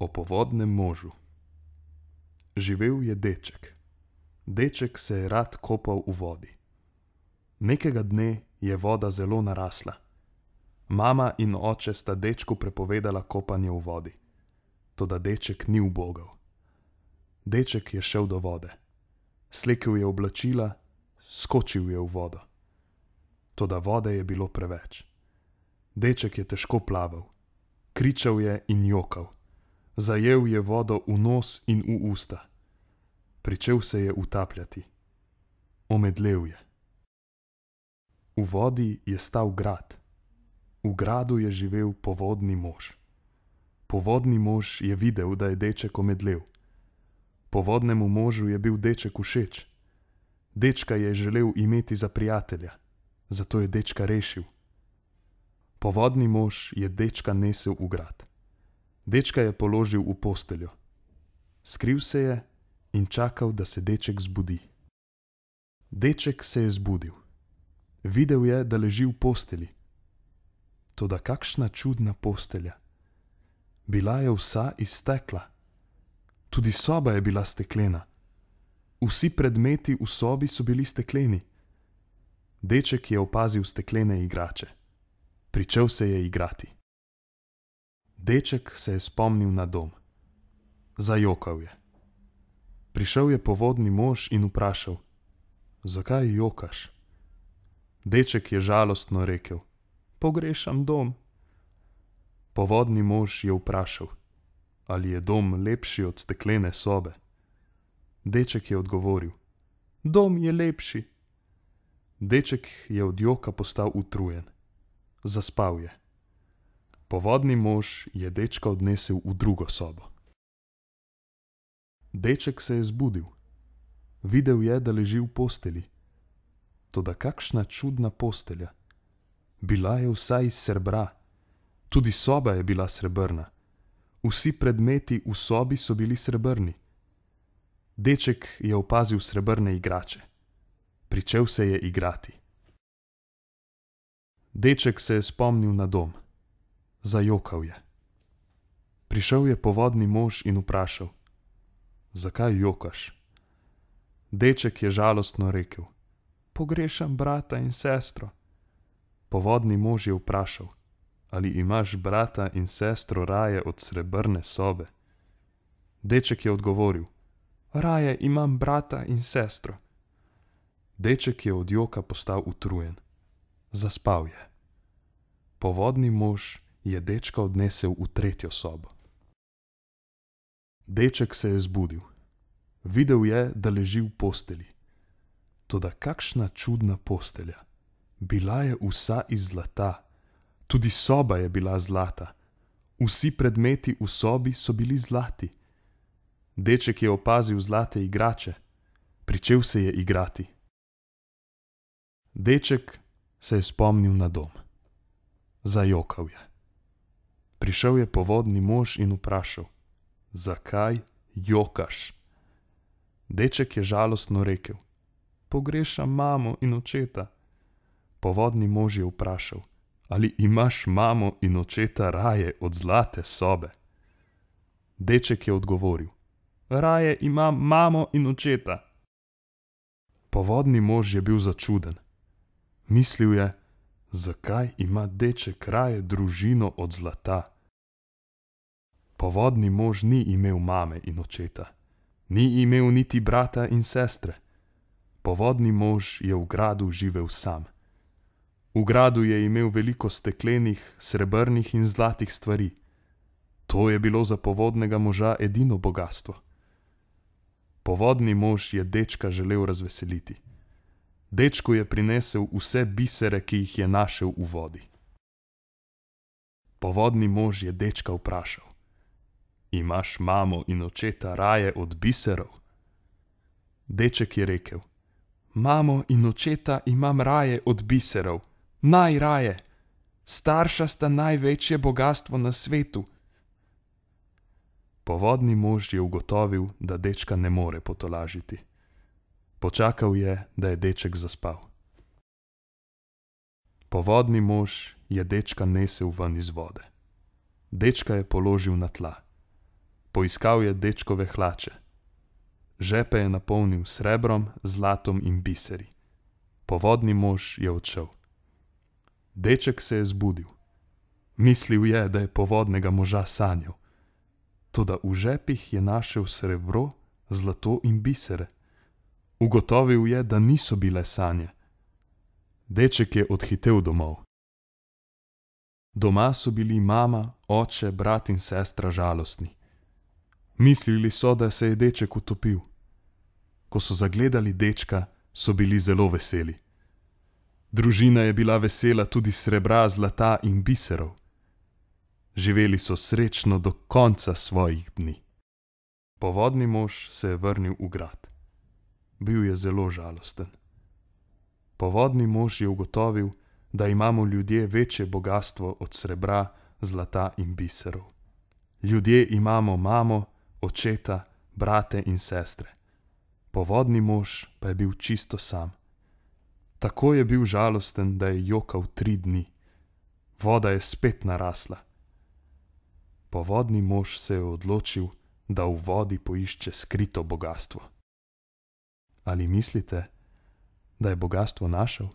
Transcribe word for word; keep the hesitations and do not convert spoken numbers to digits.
O povodnem možu. Živel je deček. Deček se je rad kopal v vodi. Nekega dne je voda zelo narasla. Mama in oče sta dečku prepovedala kopanje v vodi. Toda deček ni ubogal. Deček je šel do vode. Slekel je oblačila, skočil je v vodo. Toda vode je bilo preveč. Deček je težko plaval. Kričal je in jokal. Zajel je vodo v nos in v usta. Pričel se je utapljati. Omedlel je. V vodi je stal grad. V gradu je živel povodni mož. Povodni mož je videl, da je deček omedlel. Povodnemu možu je bil deček všeč. Dečka je želel imeti za prijatelja, zato je dečka rešil. Povodni mož je dečka nesel v grad. Dečka je položil v posteljo. Skril se je in čakal, da se deček zbudi. Deček se je zbudil. Videl je, da leži v posteli. Toda kakšna čudna postelja. Bila je vsa iz stekla. Tudi soba je bila steklena. Vsi predmeti v sobi so bili stekleni. Deček je opazil steklene igrače. Pričel se je igrati. Deček se je spomnil na dom. Zajokal je. Prišel je povodni mož in vprašal: "Zakaj jokaš?" Deček je žalostno rekel: "Pogrešam dom." Povodni mož je vprašal: "Ali je dom lepši od steklene sobe?" Deček je odgovoril: "Dom je lepši." Deček je od joka postal utrujen. Zaspal je. Povodni mož je dečka odnesel v drugo sobo. Deček se je zbudil. Videl je, da leži v posteli. Toda kakšna čudna postelja. Bila je vsa iz srebra. Tudi soba je bila srebrna. Vsi predmeti v sobi so bili srebrni. Deček je opazil srebrne igrače. Pričel se je igrati. Deček se je spomnil na dom. Zajokal je. Prišel je povodni mož in vprašal: "Zakaj jokaš?" Deček je žalostno rekel: "Pogrešam brata in sestro." Povodni mož je vprašal: "Ali imaš brata in sestro raje od srebrne sobe?" Deček je odgovoril: "Raje imam brata in sestro." Deček je od joka postal utrujen. Zaspal je. Povodni mož je dečka odnesel v tretjo sobo. Deček se je zbudil. Videl je, da leži v posteli. Toda kakšna čudna postelja. Bila je vsa iz zlata. Tudi soba je bila zlata. Vsi predmeti v sobi so bili zlati. Deček je opazil zlate igrače. Pričel se je igrati. Deček se je spomnil na dom. Zajokal je. Prišel je povodni mož in vprašal: "Zakaj jokaš?" Deček je žalostno rekel: "Pogrešam mamo in očeta." Povodni mož je vprašal: "Ali imaš mamo in očeta raje od zlate sobe?" Deček je odgovoril: "Raje imam mamo in očeta." Povodni mož je bil začuden. Mislil je: "Zakaj ima deček raje družino od zlata?" Povodni mož ni imel mame in očeta. Ni imel niti brata in sestre. Povodni mož je v gradu živel sam. V gradu je imel veliko steklenih, srebrnih in zlatih stvari. To je bilo za povodnega moža edino bogastvo. Povodni mož je dečka želel razveseliti. Dečku je prinesel vse bisere, ki jih je našel v vodi. Povodni mož je dečka vprašal: "Imaš mamo in očeta raje od biserov?" Deček je rekel: "Mamo in očeta imam raje od biserov. Najraje. Starša sta največje bogastvo na svetu." Povodni mož je ugotovil, da dečka ne more potolažiti. Počakal je, da je deček zaspal. Povodni mož je dečka nesel ven iz vode. Dečka je položil na tla. Poiskal je dečkove hlače. Žepe je napolnil s srebrom, zlatom in biseri. Povodni mož je odšel. Deček se je zbudil. Mislil je, da je povodnega moža sanjal. Toda v žepih je našel srebro, zlato in bisere. Ugotovil je, da niso bile sanje. Deček je odhitel domov. Doma so bili mama, oče, brat in sestra žalostni. Mislili so, da se je deček utopil. Ko so zagledali dečka, so bili zelo veseli. Družina je bila vesela tudi srebra, zlata in biserov. Živeli so srečno do konca svojih dni. Povodni mož se je vrnil v grad. Bil je zelo žalosten. Povodni mož je ugotovil, da imamo ljudje večje bogastvo od srebra, zlata in biserov. Ljudje imamo mamo, očeta, brate in sestre. Povodni mož pa je bil čisto sam. Tako je bil žalosten, da je jokal tri dni. Voda je spet narasla. Povodni mož se je odločil, da v vodi poišče skrito bogastvo. Ali mislite, da je bogastvo našel?